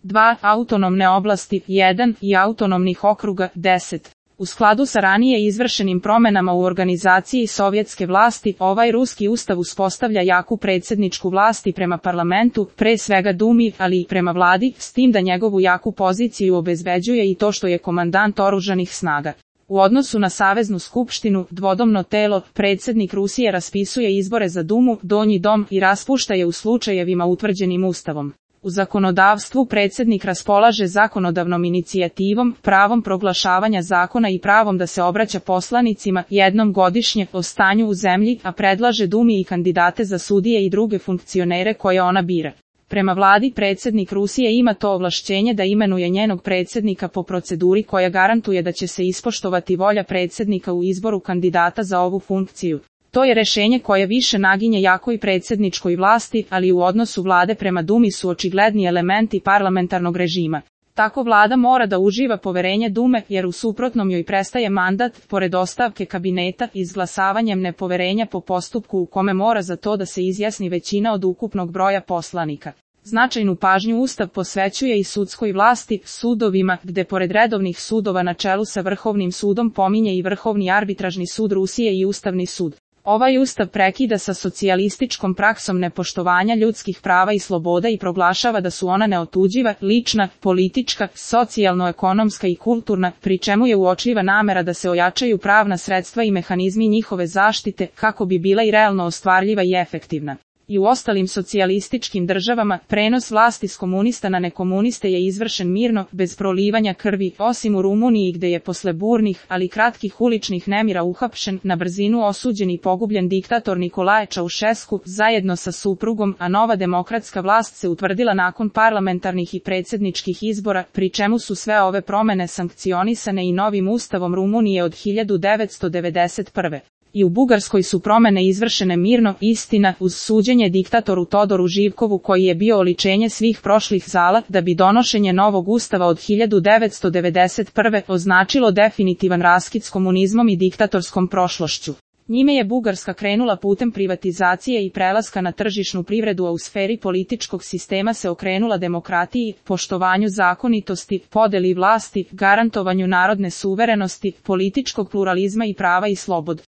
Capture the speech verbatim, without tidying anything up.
dva autonomne oblasti, jedan i autonomnih okruga, deset. U skladu sa ranije izvršenim promenama u organizaciji sovjetske vlasti, ovaj ruski ustav uspostavlja jaku predsjedničku vlast i prema parlamentu, pre svega Dumi, ali i prema vladi, s tim da njegovu jaku poziciju obezbeđuje i to što je komandant oružanih snaga. U odnosu na Saveznu skupštinu, dvodomno telo, predsjednik Rusije raspisuje izbore za Dumu, Donji dom i raspušta je u slučajevima utvrđenim ustavom. U zakonodavstvu predsjednik raspolaže zakonodavnom inicijativom, pravom proglašavanja zakona i pravom da se obraća poslanicima jednom godišnje o stanju u zemlji, a predlaže Dumi i kandidate za sudije i druge funkcionere koje ona bira. Prema vladi predsjednik Rusije ima to ovlašćenje da imenuje njenog predsjednika po proceduri koja garantuje da će se ispoštovati volja predsjednika u izboru kandidata za ovu funkciju. To je rešenje koje više naginje jakoj predsjedničkoj vlasti, ali u odnosu vlade prema Dumi su očigledni elementi parlamentarnog režima. Tako vlada mora da uživa poverenje Dume, jer u suprotnom joj prestaje mandat, pored ostavke kabineta, izglasavanjem nepoverenja po postupku u kome mora za to da se izjasni većina od ukupnog broja poslanika. Značajnu pažnju Ustav posvećuje i sudskoj vlasti, sudovima, gde pored redovnih sudova na čelu sa Vrhovnim sudom pominje i Vrhovni arbitražni sud Rusije i Ustavni sud. Ovaj ustav prekida sa socijalističkom praksom nepoštovanja ljudskih prava i sloboda i proglašava da su ona neotuđiva, lična, politička, socijalno-ekonomska i kulturna, pri čemu je uočljiva namera da se ojačaju pravna sredstva i mehanizmi njihove zaštite, kako bi bila i realno ostvarljiva i efektivna. I u ostalim socijalističkim državama, prenos vlasti s komunista na nekomuniste je izvršen mirno, bez prolivanja krvi, osim u Rumuniji gde je posle burnih, ali kratkih uličnih nemira uhapšen, na brzinu osuđen i pogubljen diktator Nikolaje Čaušesku, zajedno sa suprugom, a nova demokratska vlast se utvrdila nakon parlamentarnih i predsjedničkih izbora, pri čemu su sve ove promene sankcionisane i novim ustavom Rumunije od hiljadu devetsto devedeset prve. I u Bugarskoj su promene izvršene mirno, istina, uz suđenje diktatoru Todoru Živkovu koji je bio oličenje svih prošlih zala, da bi donošenje novog ustava od hiljadu devetsto devedeset prve označilo definitivan raskid s komunizmom i diktatorskom prošlošću. Njime je Bugarska krenula putem privatizacije i prelaska na tržišnu privredu, a u sferi političkog sistema se okrenula demokratiji, poštovanju zakonitosti, podeli vlasti, garantovanju narodne suverenosti, političkog pluralizma i prava i slobod.